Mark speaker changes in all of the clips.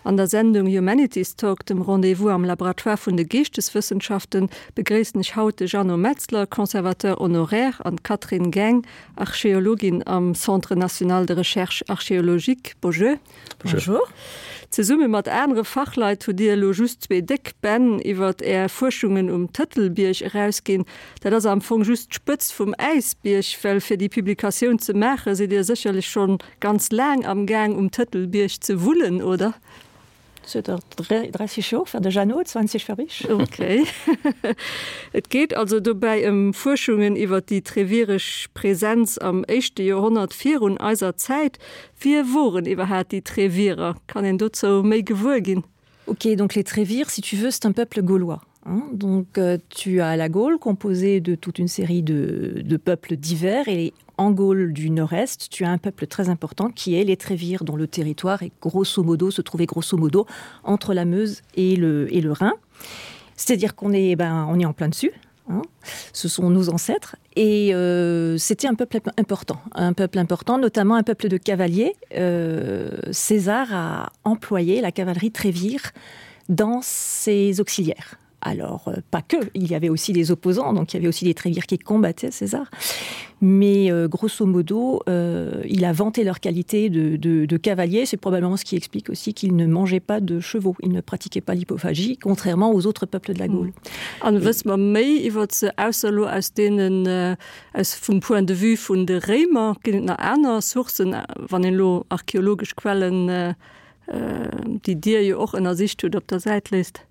Speaker 1: An der Sendung Humanities Talk, dem Rendez-vous am Laboratoire vun de Geeschteswëssenschaften, begréissen ech haut de Jeannot Metzler, Conservateur honoraire, an d'Catherine Geng, Archeologin am Centre national de recherche archéologique. Bonjour.
Speaker 2: Bonjour.
Speaker 1: Zesumme mat anere Fachleit hutt Dir elo just zwee déck Bänn iwwert Är Fuerschungen um Tëtelbierg erausginn. Dat ass am Fong just d'Spëtzt vum Äisbierg, well fir déi Publikatioun ze maache sidd Dir sécherlech schonn ganz laang am Gaang um Tëtelbierg ze wullen, oder?
Speaker 2: Zënter 30 Joer fir de Jeannot, 20 fir mech.
Speaker 1: Ok. Et geet also dobäi ëm Fuerschungen iwwer déi treviresch Präsenz am éischte Joerhonnert virun eiser Zäit. Wie woren iwwerhaat déi Trevierer? Kann een dozou méi gewuer ginn?
Speaker 2: Ok, donc les Trévires, si tu veux, c'est un peuple gaulois. Hein? Donc euh, tu as la Gaule composée de toute une série de, de peuples divers et en Gaule du Nord-Est, tu as un peuple très important qui est les Trévires, dont le territoire est grosso modo se trouvait grosso modo entre la Meuse et le, et le Rhin. C'est-à-dire qu'on est, ben, on est en plein dessus. Hein, ce sont nos ancêtres et euh, c'était un peuple important un peuple important notamment un peuple de cavaliers euh, César a employé la cavalerie Trévire dans ses auxiliaires alors euh, pas que il y avait aussi des opposants donc il y avait aussi des Trévires qui combattaient César mais euh, grosso modo euh, il a vanté leur qualité de, de, de cavalier c'est probablement ce qui explique aussi qu'il ne mangeait pas de chevaux il ne pratiquait pas l'hypophagie contrairement aux autres peuples de la Gaule
Speaker 1: An wësse mer méi iwwer se ausser elo aus deenen aus vum Point de vue vun de Réimer? Ginn et nach aner Sourcen, wann een elo archeologesch Quellen, déi Dir jo och ënnersicht hutt, op der Säit léisst?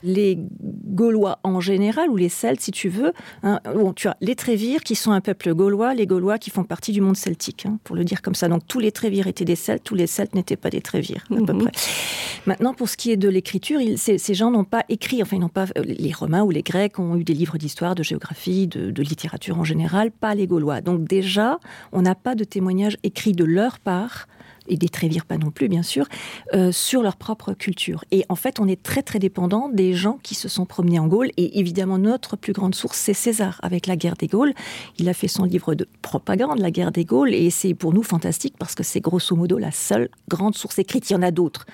Speaker 2: Les Gaulois en général ou les Celtes si tu veux hein, bon, tu as les Trévires qui sont un peuple gaulois, les Gaulois qui font partie du monde celtique hein, pour le dire comme ça donc tous les Trévires étaient des Celtes, tous les Celtes n'étaient pas des Trévires à mm -hmm. peu mhm. près. Maintenant pour ce qui est de l'écriture, ces, ces gens n'ont pas écrit enfin ils n'ont pas euh, les Romains ou les Grecs ont eu des livres d'histoire, de géographie, de, de littérature en général, pas les Gaulois. Donc déjà on n'a pas de témoignage écrit de leur part et des Trévires pas non plus bien sûr euh, sur leur propre culture et en fait on est très très dépendant des gens qui se sont promenés en Gaule et évidemment notre plus grande source c'est César avec la guerre des Gaules il a fait son livre de propagande la guerre des Gaules et c'est pour nous fantastique parce que c'est grosso modo la seule grande source écrite il y en a d'autres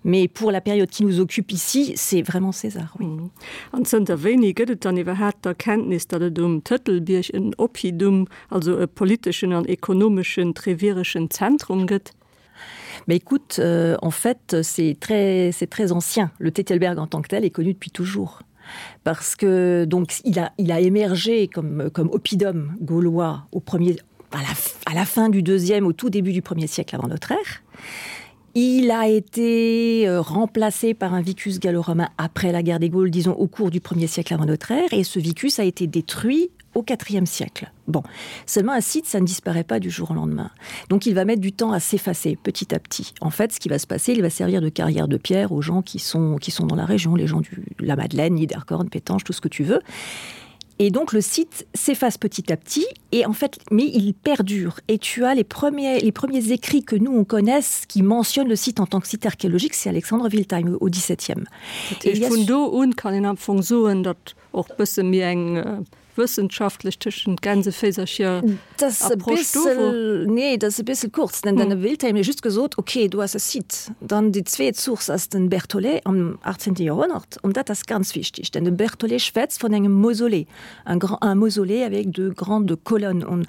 Speaker 2: mais pour la période qui nous occupe ici c'est vraiment César oui.
Speaker 1: Mm. An zënter wéini gëtt et dann iwwerhaapt d'Erkenntnis, datt et um Tëtelbierg en Oppidum, also e politeschen an ekonomeschen trevireschen Zentrum gëtt?
Speaker 2: Mais écoute, euh, en fait, c'est très, c'est très ancien. Le Tetelberg en tant que tel est connu depuis toujours. Parce que donc il a, il a émergé comme, comme oppidum gaulois au premier, à, la, à la fin du deuxième, au tout début du premier siècle avant notre ère. Il a été euh, remplacé par un vicus gallo-romain après la guerre des Gaules, disons au cours du premier siècle avant notre ère, et ce vicus a été détruit au IVe siècle. Bon, seulement un site, ça ne disparaît pas du jour au lendemain. Donc il va mettre du temps à s'effacer petit à petit. En fait, ce qui va se passer, il va servir de carrière de pierre aux gens qui sont, qui sont dans la région, les gens du la Madeleine, Niederkorn, Pétange, tout ce que tu veux. Et donc le site s'efface petit à petit et en fait mais il perdure et tu as les premiers les premiers écrits que nous on connaisse qui mentionnent le site en tant que site archéologique c'est Alexandre Wiltheim au 17e.
Speaker 1: Et vun do un kann een am Fong soen, datt och bësse méi eng äh, wëssenschaftlech tëschent Gänseféisercher
Speaker 2: Approche do wor. Nee, dat ass e bëssel kurz, denn den Wiltheim huet just gesot, ok, do ass e Site. Dann déi zweet Source ass den Berthollet am 18. Joerhonnert, an dat ass ganz wichtig, denn de Berthollet schwätzt vun engem Mausolée, un grand, un mausolée avec de grandes colonnes. On,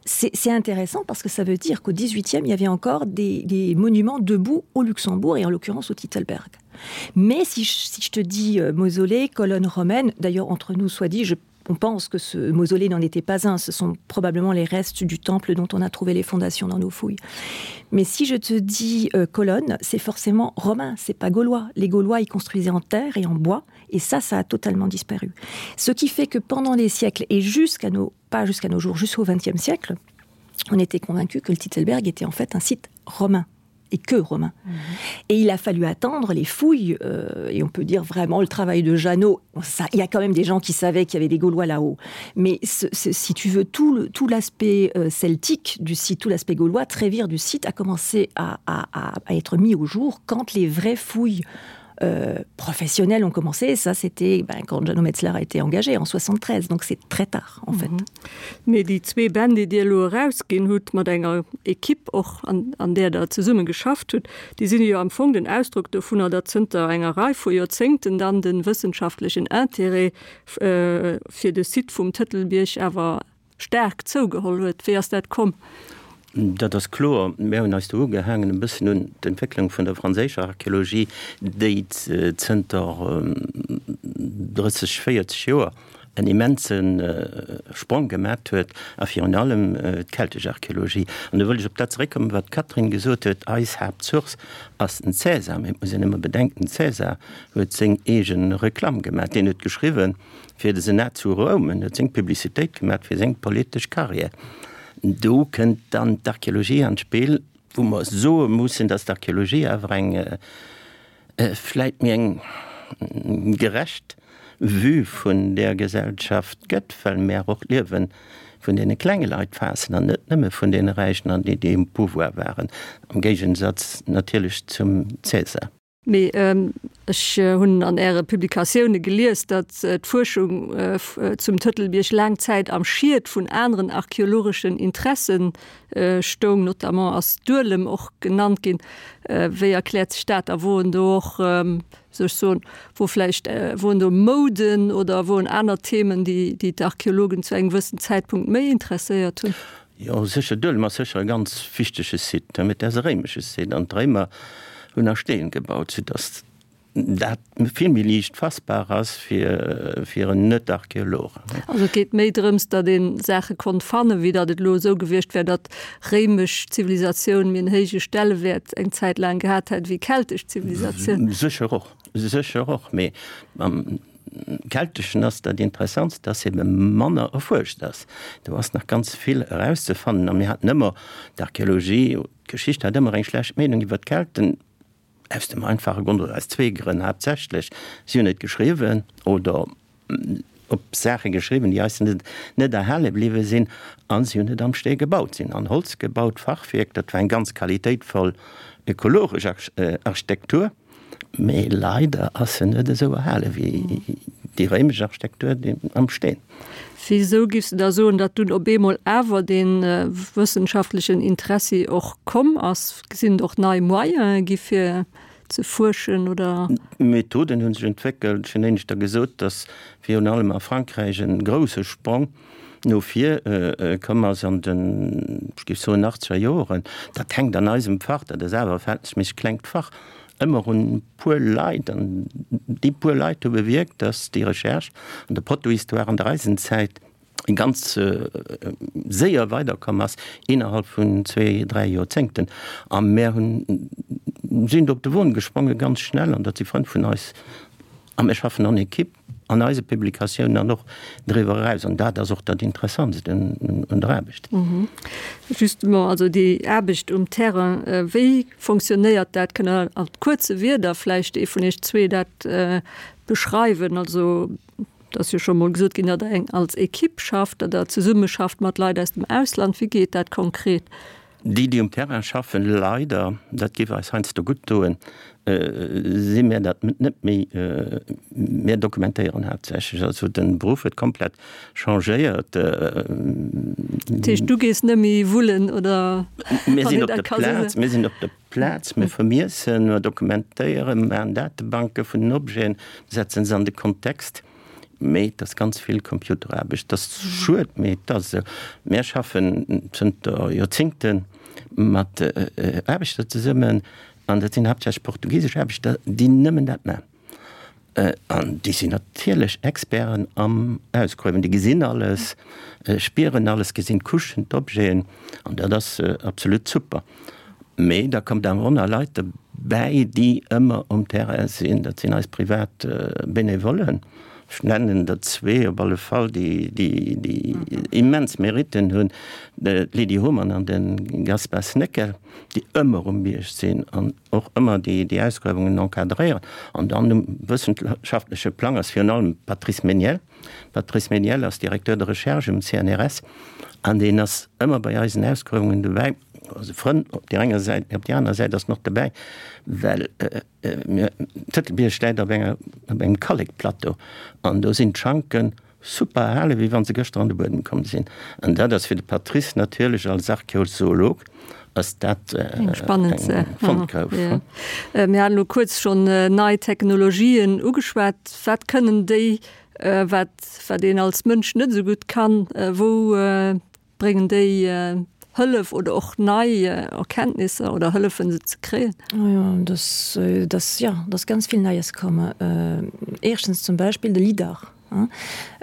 Speaker 2: c'est, c'est intéressant parce que ça veut dire qu'au 18e, il y avait encore des, des monuments debout au Luxembourg et en l'occurrence au Titelberg. Mais si je, si je te dis euh, mausolée, colonne romaine, d'ailleurs entre nous soit dit, je on pense que ce mausolée n'en était pas un, ce sont probablement les restes du temple dont on a trouvé les fondations dans nos fouilles. Mais si je te dis euh, colonne, c'est forcément romain, c'est pas gaulois. Les Gaulois y construisaient en terre et en bois, et ça, ça a totalement disparu. Ce qui fait que pendant les siècles et jusqu'à nos pas jusqu'à nos jours, jusqu'au XXe siècle, on était convaincu que le Titelberg était en fait un site romain et que romain. Mmh. Et il a fallu attendre les fouilles euh, et on peut dire vraiment le travail de Jeannot ça, il y a quand même des gens qui savaient qu'il y avait des Gaulois là-haut. Mais ce, ce, si tu veux tout, tout l'aspect euh, celtique du site, tout l'aspect gaulois, Trévire du site a commencé à, à, à, à être mis au jour quand les vraies fouilles. euh, professionnelles ont commencé et ça c'était ben, quand Jeannot Metzler a été engagé en 73 donc c'est très tard en fait. Mhm.
Speaker 1: Mee déi zwee Bänn, déi Dir elo erausginn hutt, mat enger Equipe och, an, an där Der zesumme geschafft hutt, déi sinn jo am Fong den Ausdrock dovunner, datt zënter enger Rei vu Joerzéngten dann de wëssenschaftlechen Intérêt fir de Site vum Tëtelbierg awer staark zougeholl huet. Wéi ass dat komm?
Speaker 3: Dat ass kloer. Mir hunn eis do ugehaangen e bëssen un d'Entwécklung vun der franséischer Archeologie, déi zënter 30, 40 Joer en immense Sprong gemat huet, a virun allem d'keltesch Archeologie. An do wëll ech op dat zeréckkommen, wat d'Catherine gesot huet, Eis Haaptsource ass den Cäsar. Mee et muss een ëmmer bedenken, den Cäsar huet seng eege Reklamm gemat. Deen huet geschriwwen fir de Senat zu Roum, en huet seng Publicitéit gemat fir seng politesch Carrière. Do kënnt dann d'Archeologie an d'Spill, wou mer soe mussen, datt d'Archeologie awer eng vläit méi eng gerecht Vue vun där Gesellschaft gëtt, well mär och d'Liewe vun deene klenge Leit faassen an net nëmme vun deene Räichen an déi, déi um Pouvoir waren, am Géigensatz natierlech zum Cäsar.
Speaker 1: Mee ech hunn an Äre Publikatioune gelies, datt d'Fuerschung zum Tëtelbierg laang Zäit am Schiet vun aneren archeologeschen Interessen stoung, notamment ass Duelem och genannt ginn. Wéi erkläert sech dat? A woen do och, wéi soll ech soen, wou vläicht woen do Mouden oder woen aner Themen, déi déi d'Archeologen zu engem gewëssen Zäitpunkt méi interesséiert hunn?
Speaker 3: Jo, sécher, Duelem ass sécher e ganz wichtege Site, mä et ass e réimesche Site an d'Réimer hunn a Steen gebaut, soudass dat vill méi liicht fassbar ass fir fir en Net-Archeolog.
Speaker 1: Also et geet méi drëms, datt ee Saache konnt fannen, wéi datt et elo esou gewiescht wär, datt réimesch Zivilisatioun méi en héije Stellewäert eng Zäit laang gehat hätt wéi keltesch Zivilisatioun.
Speaker 3: Sécher och, sécher och, mee am Kelteschen ass dat Interessantst, datt ebe manner erfuerscht ass. Do ass nach ganz vill erauszefannen a mir haten ëmmer, d'Archeologie, d'Geschicht hat ëmmer eng schlecht Meenung iwwer d'Kelten, Aus dem einfache Grond, oder aus zwee Grënn haaptsächlech, Si hunn net geschriwwen oder op Saache geschriwwen, déi eis net net erhale bliwwe sinn, a si hunn net am Stee gebaut. Si hunn an Holz gebaut, Fachwierk, dat war eng ganz qualitéitvoll ökologesch Architektur, mee leider ass se net esou erhale wéi déi réimesch Architektur am Steen.
Speaker 1: Wisou giffs de da soen, datt dunn op eemol awer dee wëssenschaftlechen Interessi och komm ass? Sinn et och nei Moyene gi fir ze fuerschen oder?
Speaker 3: D'Methoden hu sech entwéckelt. Ech hunn éineschter gesot, datt virun allem a Frankräich e grousse Sprong no vir komm ass an den, ech géif soen, achtzeger Joren. Dat hänkt an eisem Fach, dat ass awer e verhältnisméisseg klengt Fach, ëmmer un e puer Leit. An déi puer Leit hu bewierkt, datt déi Recherche an der Protohistoire an der Eisenzäit ganz séier weiderkomm ass, innerhalb vun zwee, dräi Joerzéngten. A mär hunn, sinn do op de Won gesprongen, ganz schnell, an dat si Frënn vun eis. A mir schaffen an Equipe an eise Publikatiounen an och driwwer eraus. An dat ass och dat Interessantst un der Aarbecht.
Speaker 1: Justement, also déi Aarbecht um Terrain, wéi fonctionnéiert dat? Kënnt Der a kuerze Wierder vläicht ee vun Iech zwee dat beschreiwen? Also Et ass jo scho mol gesot ginn, datt Der eng als Ekipp schafft, datt Der zesummeschafft mat Leit aus dem Ausland. Wéi geet dat konkret?
Speaker 3: Déi, déi um Terrain schaffen, leider, dat géif eis heiansdo gutt doen, si mär dat net méi. Mär dokumentéieren haaptsächlech. Also de Beruff huet komplett changéiert.
Speaker 1: Dat heescht, du gees net méi wullen, oder?
Speaker 3: Mir sinn op der Plaz, mir sinn op der Plaz, mir vermiessen, mir dokumentéieren, maachen Datebanke vun den Objeten, setzen se an de Kontext. Mee et ass ganz vill Computeraarbecht. Et ass schued, mee et ass esou. Mir schaffen zënter Joerzéngte mat Aarbechter zesummen, an dat sinn haaptsächlech portugisesch Aarbechter, déi nëmmen dat maachen. An déi sinn natierlech Experten am Ausgruewen. Déi gesinn alles, spieren alles, gesinn d'Couchen, d'Objeten an dat ass absolut super. Mee da kommt awer och nach Leit derbäi, déi ëmmer um Terrain sinn. Dat sinn eis privat Benevollen. Ech nennen der zwee op alle Fall, déi déi immens Meritten hunn, d'Lydie Homan an de Gaspar Sneckel, déi ëmmer um Bierg sinn an och ëmmer déi Ausgruewungen encadréieren. An dann um wëssenschaftleche Plang ass virun allem Patrice Meniel. Patrice Meniel ass Directeur de recherche um CNRS an deen ass ëmmer bei eisen Ausgruewungen dobäi. Also Frënn op där enger Säit, mee op där aner Säit ass en och dobäi, well mir, Tëtelbierg läit op enger, op engem Kallekplateau an do sinn d'Schanken super erhalen, wéi wa se gëschter an de Buedem komm sinn. An dat ass fir de Patrice natierlech als Archäozoolog ass dat
Speaker 1: eng spannend Fondgrouf. Mir haten elo kuerz schonn nei Technologien ugeschwat. Wat kënnen déi, wat wat een als Mënsch net esou gutt kann? Wou Bréngen déi Hëllef oder och nei Erkenntnisser oder hëllefen se ze kréien?
Speaker 2: Oh jo, dass, dass, jo, dass ganz vill Neies komm. Éischtens zum Beispill de Lidar.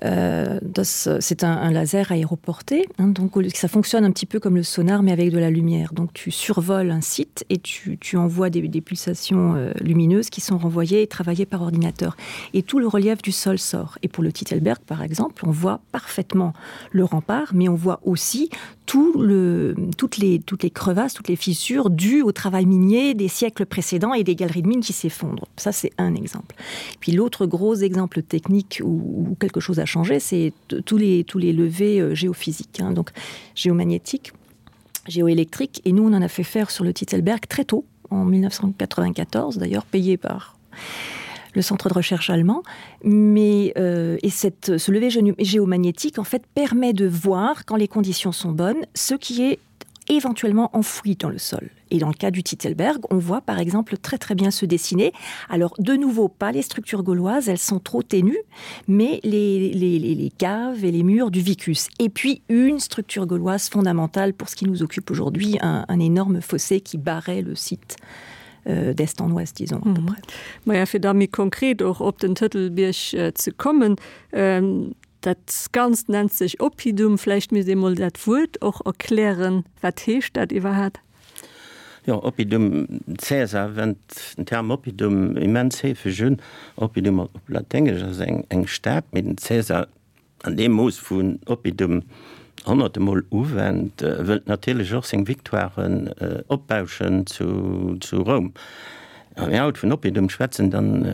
Speaker 2: Das, c'est un, un laser aéroporté, hein, donc ça fonctionne un petit peu comme le sonar mais avec de la lumière. Donc tu survoles un site et tu, tu envoies des, des pulsations euh, lumineuses qui sont renvoyées et travaillées par ordinateur. Et tout le relief du sol sort. Et pour le Titelberg par exemple, on voit parfaitement le rempart, mais on voit aussi tout le, toutes, les, toutes les crevasses, toutes les fissures dues au travail minier des siècles précédents et des galeries de mines qui s'effondrent. Ça, c'est un exemple. Puis l'autre gros exemple technique où, où quelque chose a changé, c'est tous les, tous les levées euh, géophysiques, hein, donc géomagnétiques, géoélectriques. Et nous, on en a fait faire sur le Titelberg très tôt, en 1994, d'ailleurs payé par le centre de recherche allemand mais euh, et cette ce lever géomagnétique en fait permet de voir quand les conditions sont bonnes ce qui est éventuellement enfoui dans le sol et dans le cas du Titelberg on voit par exemple très très bien se dessiner alors de nouveau pas les structures gauloises elles sont trop ténues mais les, les, les, les caves et les murs du vicus et puis une structure gauloise fondamentale pour ce qui nous occupe aujourd'hui un, un énorme fossé qui barrait le site euh, d'est en ouest disons mm -hmm.
Speaker 1: Maja fir da méi konkret och op den Tëtelbierg äh, ze kommen, ähm, dat Ganzt nennt sech Oppidum, vläicht misst ee mol dat Wuert och erklären, wat heescht dat iwwerhaat?
Speaker 3: Jo, Oppidum, Cäsar wennt den Term Oppidum immens heefeg un. Oppidum op Laténgesch ass eng eng Stad, mee den Cäsar an deem Mooss wou en Oppidum honnerte Mol uwennt, wëllt natierlech och seng Victoiren opbauschen zu zu Roum. Wa mir haut vun Oppidum schwätzen, dann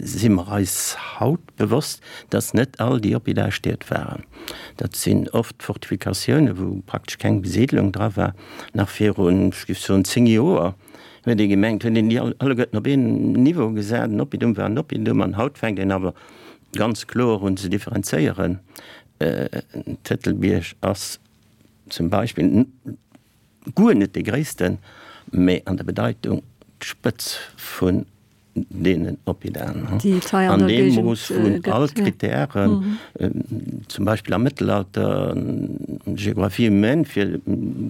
Speaker 3: si mer eis haut bewosst, dass net all déi Oppida Stied waren. Dat sinn oft Fortifikatiounen, wou praktesch keng Besiedlung dra war. Nach virun, ech géif soen, 10 Joer huet ee gemengt, huet een déi alleguerten op een Niveau gesat, en Oppidum war en Oppidum. An haut fänkt een awer ganz kloer un ze differenzéieren. Den Tëtelbierg ass zum Beispill guer net dee gréissten, mee an der Bedeitung d'Spëtz vun deenen Oppidaen. An deem Mooss vun all d'Kritären, zum Beispill am Mëttelalter, Géographie humaine, fir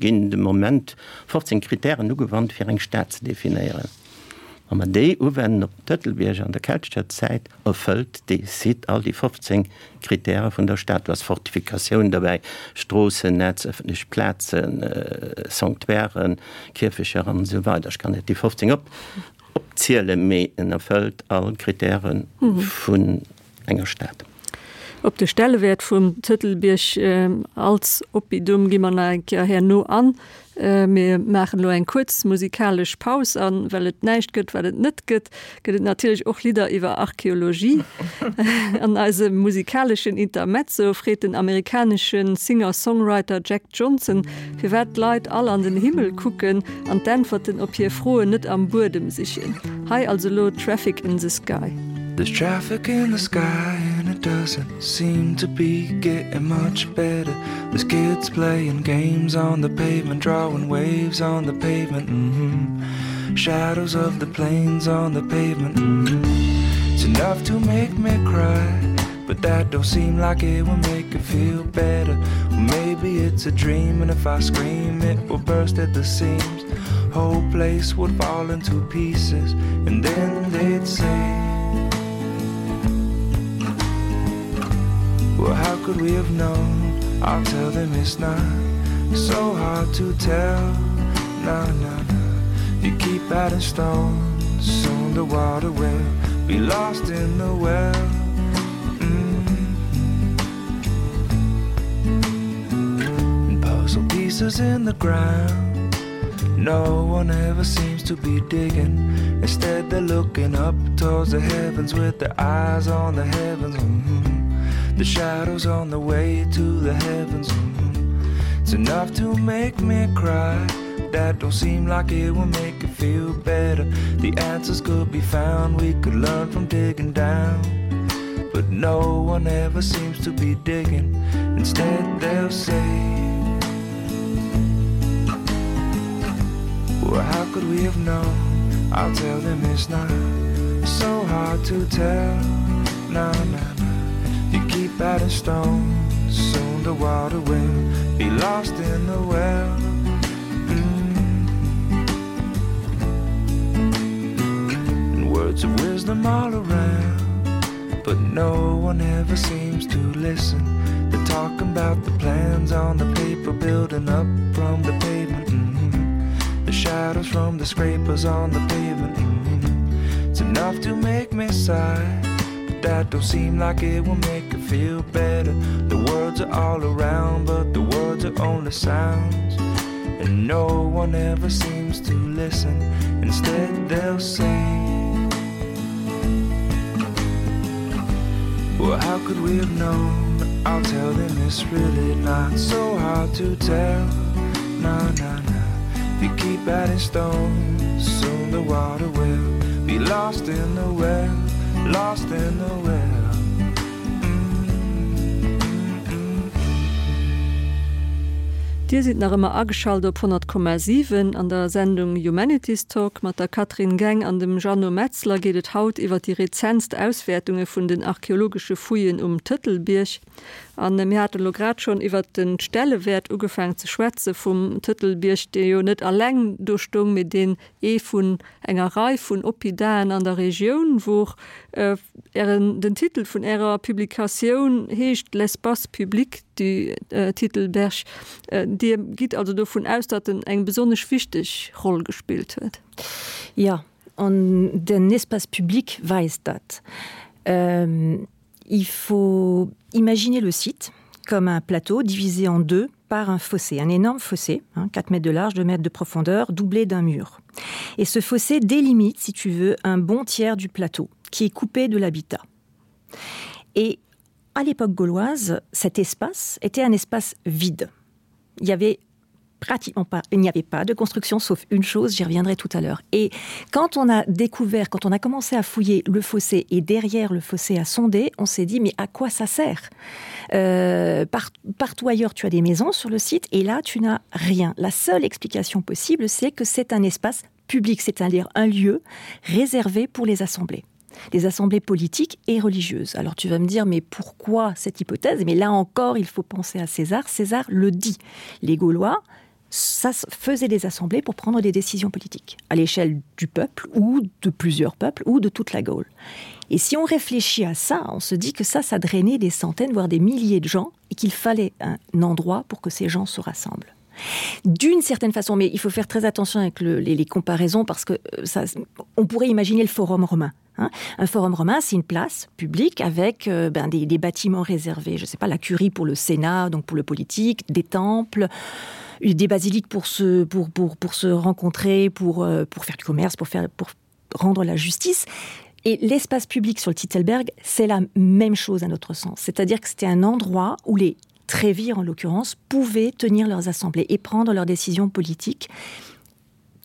Speaker 3: ginn de Moment 15 Kritären ugewannt, fir eng Stad ze definéieren. Wa mer déi uwennen op den Tëtelbierg an der keltescher Zäit, erfëllt dee Site all déi 15 Kritäre vun der Stad. Do ass Fortifikatioun derbäi, Stroossennetz, ëffentlech Plazen, Sanctuairen, Kierfecher an esou weider. Ech kann net déi 15 op opzielen, mee en erfëllt all Kritäre vun enger Stad.
Speaker 1: Op de Stellewäert vum Tëtelbierg als Oppidum gi mer nach eng Kéier herno an. Mir maachen elo eng kuerz musikalesch Paus a well et näischt gëtt, wat et net gëtt, gëtt et natierlech och Lidder iwwer Archeologie. An eisem musikaleschen Intermezzo freet den amerikanesche Singer-Songwriter Jack Johnson, firwat d'Leit all an den Himmel kucken an d'Äntwerten op hir Froen net am Buedem sichen. Hei also elo Traffic in the Sky.
Speaker 4: There's traffic in the sky and it doesn't seem to be getting much better. There's kids playing games on the pavement, drawing waves on the pavement. Mm -hmm. Shadows of the planes on the pavement. Mm -hmm. It's enough to make me cry, but that don't seem like it will make it feel better. Well, maybe it's a dream, and if I scream, it will burst at the seams. Whole place would fall into pieces, and then they'd say, Well, how could we have known? I'll tell them it's not so hard to tell. No, no, no. You keep adding stones, soon the water will be lost in the well. Mm -hmm. And puzzle pieces in the ground. No one ever seems to be digging. Instead, they're looking up towards the heavens with their eyes on the heavens. Mm -hmm. The shadows on the way to the heavens. Mm -hmm. It's enough to make me cry. That don't seem like it will make it feel better. The answers could be found, we could learn from digging down. But no one ever seems to be digging. Instead they'll say, Well, how could we have known? I'll tell them it's not so hard to tell. No, no, no. You keep adding stones, soon the water will be lost in the well. Mm. And words of wisdom all around, but no one ever seems to listen. They're talking about the plans on the paper building up from the pavement. Mm -hmm. The shadows from the scrapers on the pavement. Mm -hmm. It's enough to make me sigh. But that don't seem like it will make it feel better. The words are all around, but the words are only sounds. And no one ever seems to listen. Instead they'll say, Well, how could we have known? I'll tell them it's really not so hard to tell. No, no, no. If you keep adding stones, soon the water will be lost in the well, lost in the well.
Speaker 1: Dir sidd nach ëmmer ageschalt op 100,7. An der Sendung Humanities Talk mat der Catherine Geng an dem Jeannot Metzler geet et haut iwwer déi rezentst Auswäertunge vun den archeologesche Fouillen um Tëtelbierg. An mir haten elo grad schonn iwwer de Stellewäert ugefaangen ze schwätze vum Tëtelbierg, dee jo net alleng do stoung, mee deen ee vun enger Rei vun Oppidaen an der Regioun wor. Ären, den Titel vun Ärer Publikatioun heescht L'espace public du Titelberg. Dir gitt also dovun aus, datt en eng besonnesch wichteg Roll gespillt huet?
Speaker 2: Jo, an den Espace public weist dat. Il faut imaginer le site comme un plateau divisé en deux par un fossé, un énorme fossé, hein, 4 mètres de large, 2 mètres de profondeur, doublé d'un mur. Et ce fossé délimite, si tu veux, un bon tiers du plateau qui est coupé de l'habitat. Et à l'époque gauloise, cet espace était un espace vide. Il y avait pratiquement pas il n'y avait pas de construction sauf une chose j'y reviendrai tout à l'heure et quand on a découvert quand on a commencé à fouiller le fossé et derrière le fossé à sonder on s'est dit mais à quoi ça sert euh, par, partout ailleurs tu as des maisons sur le site et là tu n'as rien la seule explication possible c'est que c'est un espace public c'est à dire un lieu réservé pour les assemblées des assemblées politiques et religieuses. Alors tu vas me dire mais pourquoi cette hypothèse Mais là encore il faut penser à César. César le dit. Les Gaulois ça faisait des assemblées pour prendre des décisions politiques à l'échelle du peuple ou de plusieurs peuples ou de toute la Gaule. Et si on réfléchit à ça, on se dit que ça ça drainait des centaines voire des milliers de gens et qu'il fallait un endroit pour que ces gens se rassemblent. D'une certaine façon, mais il faut faire très attention avec le, les, les comparaisons parce que euh, ça, on pourrait imaginer le forum romain. Hein. Un forum romain, c'est une place publique avec euh, ben, des, des bâtiments réservés, je sais pas la curie pour le Sénat, donc pour le politique, des temples, des basiliques pour se, pour, pour, pour se rencontrer, pour, euh, pour faire du commerce, pour, faire, pour rendre la justice. Et l'espace public sur le Titelberg, c'est la même chose à notre sens. C'est-à-dire que c'était un endroit où les Trévires, en l'occurrence, pouvaient tenir leurs assemblées et prendre leurs décisions politiques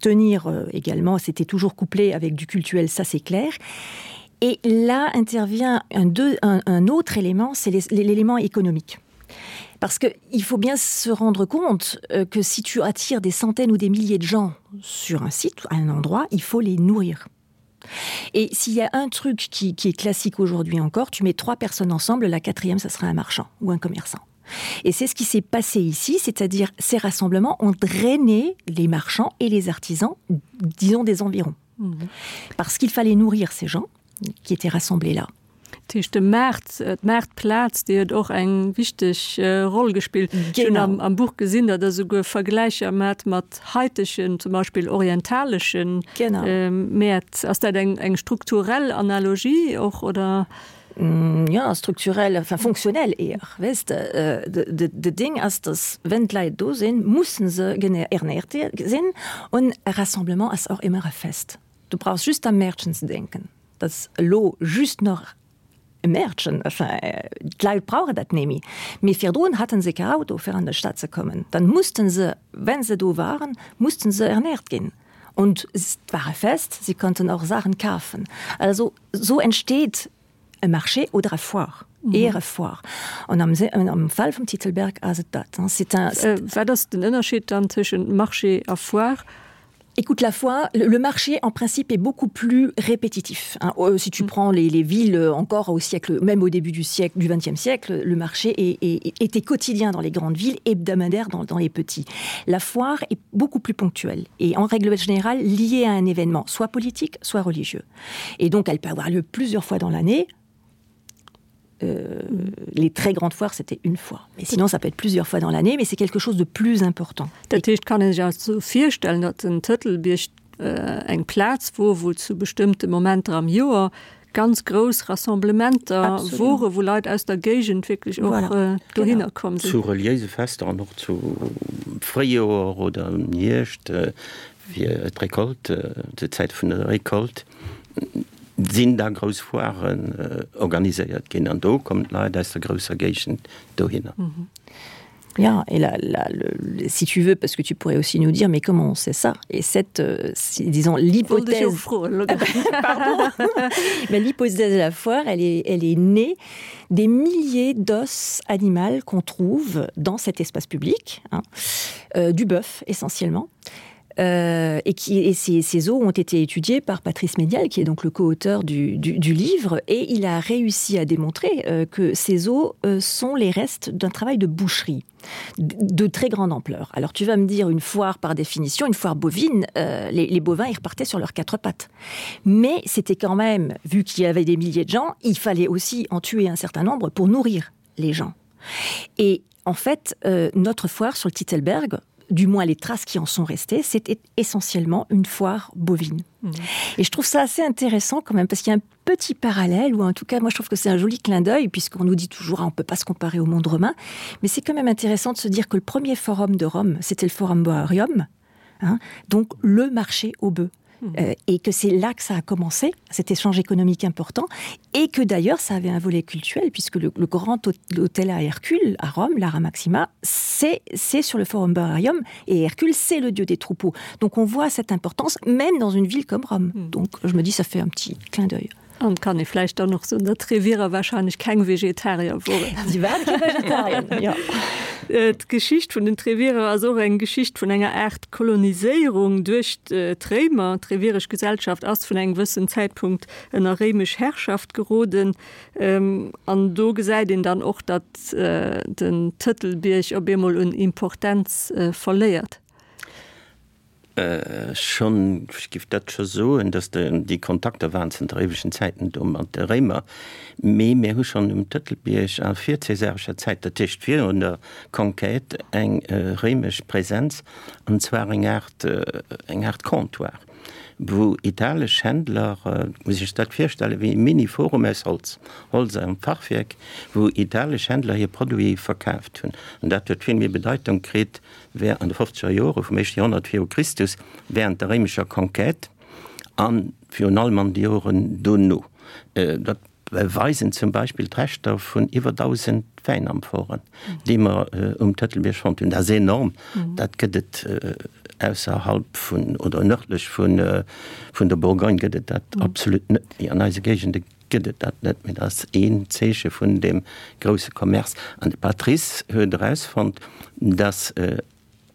Speaker 2: tenir euh, également c'était toujours couplé avec du cultuel ça c'est clair et là intervient un, deux, un, un autre élément c'est l'élément économique parce que il faut bien se rendre compte euh, que si tu attires des centaines ou des milliers de gens sur un site à un endroit il faut les nourrir et s'il y a un truc qui, qui est classique aujourd'hui encore tu mets trois personnes ensemble la quatrième ça sera un marchand ou un commerçant Et c'est ce qui s'est passé ici, c'est-à-dire ces rassemblements ont drainé les marchands et les artisans, disons des environs. Mmh. Parce qu'il fallait nourrir ces gens qui étaient rassemblés là.
Speaker 1: Dat heescht de Maart, d'Maartplaz, déi huet och eng wichteg Roll gespillt. Ech hunn am, am Buch gesinn, datt Der souguer Vergläicher maacht mat haitegen, zum Beispill orientalesche Mäert. Ass dat eng, eng strukturell Analogie och, oder?
Speaker 2: Jo, strukturell, enfin fonctionnel eher, weess de. De Ding ass, datt wenn d'Leit do sinn, musse se ernährt sinn. Und e Rassemblement ass och ëmmer e Fest. Du brauchs just am Mäertchen ze denken. Dass elo just nach. e Mäertchen, enfin, d'Leit brauche dat némmi. Mee virdrun haten se ke Auto fir an de Stad ze kommen. Dann mussten se, wenn se do waren, mussten se ernährt ginn. Und et war e Fest, si konnten och Saachen kafen. Also sou entsteet e Marché oder e Foire, eher e Foire. An am, am Fall vum Titelberg ass et dat. C'est un.
Speaker 1: Wat ass den Ënnerscheed dann tëschent Marché a Foire?
Speaker 2: Écoute la foi, le, le marché en principe est beaucoup plus répétitif. Hein. Euh, si tu mm. prends les, les villes euh, encore au siècle, même au début du siècle du XXe siècle, le marché est, est, était quotidien dans les grandes villes, hebdomadaire dans, dans les petits. La foire est beaucoup plus ponctuelle et en règle générale liée à un événement, soit politique, soit religieux. Et donc elle peut avoir lieu plusieurs fois dans l'année, Euh, les très grandes foires c'était une fois mais sinon ça peut être plusieurs fois dans l'année mais c'est quelque chose de plus important
Speaker 1: Dat heescht, kann een sech also virstellen, datt den Tëtelbierg eng Plaz wor, wou zu bestëmmte Momenter am Joer ganz grouss Rassemblementer wore, wou Leit aus der Géigend wierklech och dohinner komm sinn.
Speaker 3: Zu reliéise Fester an och zu Fréijoer oder am Hierscht fir d'Recolte, zur Zäit vun der Recolte. Sinn da grouss Foiren organiséiert ginn an do kommen d'Leit aus der grousser Géigend dohinner.
Speaker 2: Ja, et la, la, le, si tu veux, parce que tu pourrais aussi nous dire, mais comment on sait ça? Et cette, euh, si, disons, l'hypothèse... Pardon. Mais l'hypothèse de la foire, elle est, elle est née des milliers d'os animaux qu'on trouve dans cet espace public, hein, euh, du bœuf essentiellement. Euh, et, qui, et ces, ces os ont été étudiés par Patrice Médial, qui est donc le coauteur du, du, du livre, et il a réussi à démontrer euh, que ces os euh, sont les restes d'un travail de boucherie de très grande ampleur. Alors tu vas me dire une foire par définition, une foire bovine, euh, les, les bovins ils repartaient sur leurs quatre pattes. Mais c'était quand même, vu qu'il y avait des milliers de gens, il fallait aussi en tuer un certain nombre pour nourrir les gens. Et en fait, euh, notre foire sur le Titelberg, du moins les traces qui en sont restées, c'était essentiellement une foire bovine. Mmh. Et je trouve ça assez intéressant quand même parce qu'il y a un petit parallèle ou en tout cas moi je trouve que c'est un joli clin d'œil puisqu'on nous dit toujours ah, on peut pas se comparer au monde romain, mais c'est quand même intéressant de se dire que le premier forum de Rome, c'était le forum Boarium, hein, donc le marché aux bœufs. Mmh. Euh, et que c'est là que ça a commencé, cet échange économique important, et que d'ailleurs ça avait un volet cultuel, puisque le, le grand hôtel à Hercule, à Rome, l'Ara Maxima, c'est sur le Forum Bararium, et Hercule, c'est le dieu des troupeaux. Donc on voit cette importance, même dans une ville comme Rome. Mmh. Donc je me dis, ça fait un petit clin d'œil.
Speaker 1: An kann ee vläicht dann och soen, datt d'Trevierer warscheinlech keng Vegetarier woren.
Speaker 2: Si waren keng Vegetarier, jo.
Speaker 1: D'Geschicht vun den Trevierer ass och eng Geschicht vun enger Aart Koloniséierung duerch d'Réimer. D'Trevieresch Gesellschaft ass vun engem wëssen Zäitpunkt ënner réimesch Herrschaft geroden. An do gesäit een dann och, datt den Tëtelbierg op eemol un Importenz verléiert.
Speaker 3: Schonn, ech géif dat scho soen, datt déi Kontakter waren zënter éiwegen Zäiten do mat de Réimer, mee mir hu schonn um Tëtelbierg a virzäsarescher Zäit, dat heescht virun der Conquête, eng réimesch Präsenz, an zwar eng Aart, eng Aart Comptoir, wou italesch Händler, muss ee sech dat virstellen wéi e Mini-Forum aus Holz, Holz am Fachwierk, wou italesch Händler hir Produite verkaaft hunn. An dat huet vill méi Bedeitung kritt wär an de fofzeger Jore vum éischte Joerhonnert viru Christus, während der réimescher Conquête a virun allem an de Joren dono. Dat beweisen zum Beispill d'Reschter vun iwwer 1.000 Wäinamphoren, déi mer um Tëtelbierg fonnt hunn. Dat ass enorm. Dat gëtt et ausserhalb vun oder nërdlech vun der Bourgogne gëtt et dat absolut net méi. An eise Géigende gëtt et dat net méi. Dat ass een Zeeche vun deem grousse Commerce. An de Patrice huet erausfonnt, dass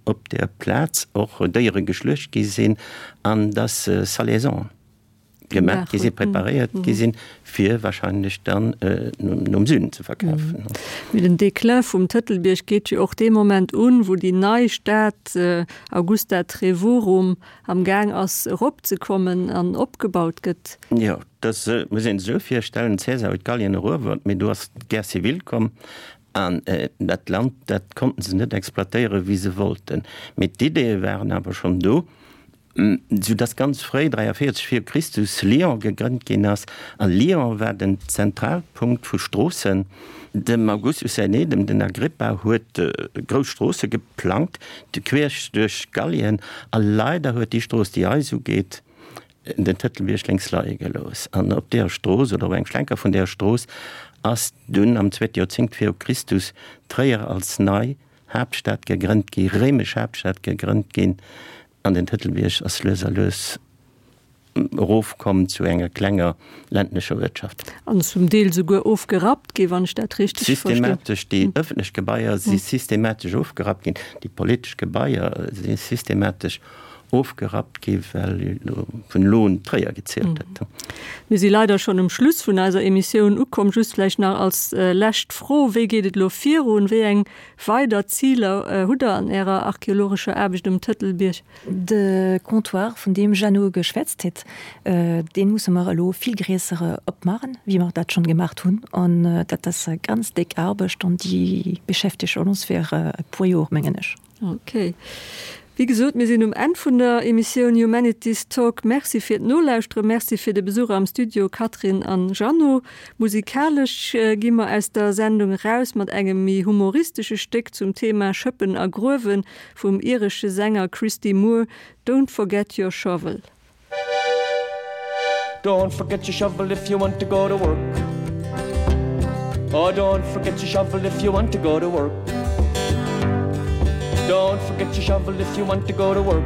Speaker 3: op där Plaz och Déiere geschluecht gi sinn an dass Salaisons gemaach gi sinn, preparéiert gi sinn, fir wahrscheinlech dann nom Süden ze verkafen.
Speaker 1: Mee den Déclin vum Tëtelbierg geet jo och dee Moment un, wou déi nei Stad Augusta Trevorum am Gaang ass eropzekommen an opgebaut gëtt.
Speaker 3: Jo, dat muss een sech esou virstellen, Cäsar huet Gallien eruewert, mee do ass d'Guerre civile komm an dat Land, dat konnten se net exploitéieren, wéi se wollten. Mee d'Ideeë waren awer schonn do, soudass ganz fréi, 43 vir Christus, Lyon gegrënnt ginn ass. A Lyon war den Zentralpunkt vu Stroossen. Dem Augustus säin Eedem, den Agrippa, huet grouss Stroosse geplangt, queesch duerch Gallien. A leider huet déi Strooss, déi eis ugeet, den Tëtelbierg lénks leie gelooss. An op deeër Strooss, oder op engem Schlenker vun deeër Strooss, ass dunn am zweete Joerzéngt viru Christus Tréier als nei Haaptstad gegrënnt gi, réimesch Haaptstad gegrënnt ginn. An den Tëtelbierg ass lues a lues erofkomm zu enger klenger ländlecher Uertschaft.
Speaker 1: An zum Deel souguer ofgerappt gi, wann ech dat richteg
Speaker 3: verstinn. Systematesch, déi ëffentlech Gebaier si systematesch ofgerappt ginn, déi politesch Gebaier si systematesch ofgerappt gi well vun elo un Tréier gezielt huet.
Speaker 1: Mir si leider schonn um Schluss vun eiser Emissioun ukomm. Just vläicht nach als lescht Fro, Wéi geet et elo virun? Wéi eng weider Ziler hutt Der an Ärer archeologescher Aarbecht um Tëtelbierg?
Speaker 2: De Comptoir, vun deem Jeannot geschwätzt huet, dee musse mer elo vill gréisser opmaachen, wéi mer dat schonn gemaacht hunn. An dat ass e ganz déck Aarbecht an déi beschäftegt ons fir e puer Jor, mengen ech.
Speaker 1: Ok. Wéi gesot, mir sinn um Enn vun der Emissioun Humanities Talk. Merci fir d'Nolauschteren, Merci fir de Besuch am Studio, Catherine an Jeannot. Musikalesch gi mer aus der Sendung eraus mat engem méi humoristesche Stéck zum Thema Schëppen a Gruewen vum iresche Sänger Christy Moore, Don't Forget Your Shovel.
Speaker 4: Don't forget your shovel if you want to go to work. Oh, don't forget your shovel if you want to go to work. Don't forget your shovel if you want to go to work.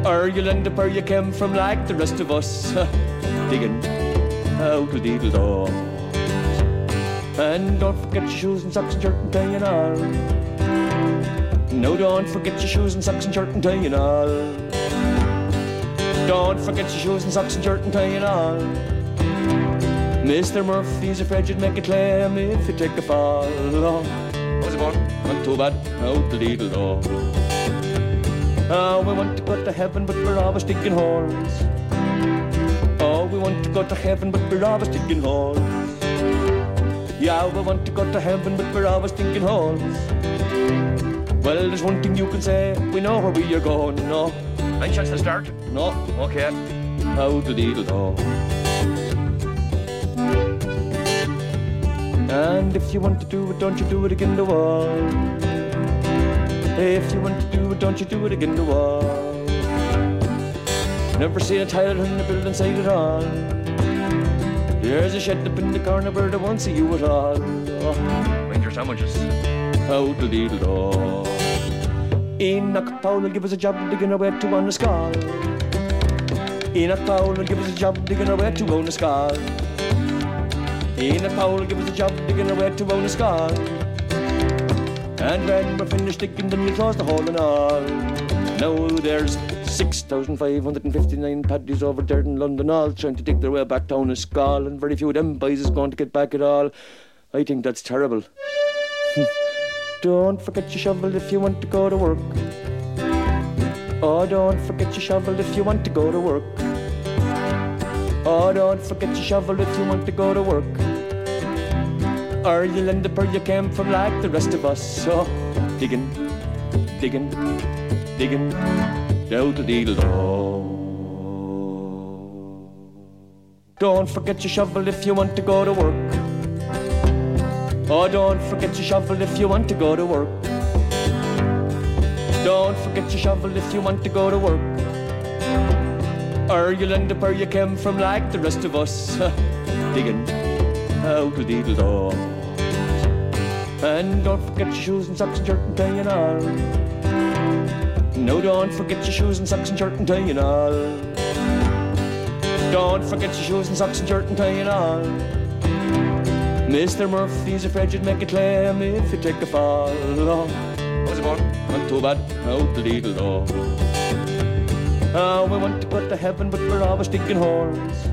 Speaker 4: Or you'll end up where you came from like the rest of us digging out a deedle door. And don't forget your shoes and socks and shirt and tie and all. No, don't forget your shoes and socks and shirt and tie and all. Don't forget your shoes and socks and shirt and tie and all. Mr. Murphy's afraid you'd make a claim if you take a fall. Oh, was it born? Not too bad, out the little door. Oh, we want to go to heaven, but we're always digging holes. Oh, we want to go to heaven, but we're always digging holes. Yeah, we want to go to heaven, but we're always thinking holes. Well, there's one thing you can say, we know where we are going, no.
Speaker 5: Any chance to start?
Speaker 4: No.
Speaker 5: Okay.
Speaker 4: How the deedle do. And if you want to do it, don't you do it again the wall. If you want to do it, don't you do it again the wall. Never seen a tile in the building side at all. There's a shed up in the corner where they won't see you at all.
Speaker 5: Oh. Bring your sandwiches.
Speaker 4: How the deedle do. Enoch Powell will give us a job digging our way to on the skull. Enoch Powell will give us a job digging our way to own a skull. Enoch Powell will give us a job digging our way to own a skull. And when we're finished digging, then you close the hole and all. Now there's 6,559 paddies over there in London all trying to dig their way back down a skull, and very few of them boys is going to get back at all. I think that's terrible. Don't forget your shovel if you want to go to work. Oh, don't forget your shovel if you want to go to work. Oh, don't forget your shovel if you want to go to work. Or you'll end up where you came from like the rest of us. So digging, digging, digging, down to deedle do. Don't forget your shovel if you want to go to work. Oh, don't forget your shovel if you want to go to work. Don't forget your shovel if you want to go to work. Or you'll end up where you came from like the rest of us digging out a deedle do. And don't forget your shoes and socks and shirt and tie and all. No, don't forget your shoes and socks and shirt and tie and all. Don't forget your shoes and socks and shirt and tie and all. Mr. Murphy's afraid you'd make a claim if you take a fall. Oh,
Speaker 5: was it born?
Speaker 4: Not too bad, out the little door. Oh, we want to go to heaven, but we're always digging holes.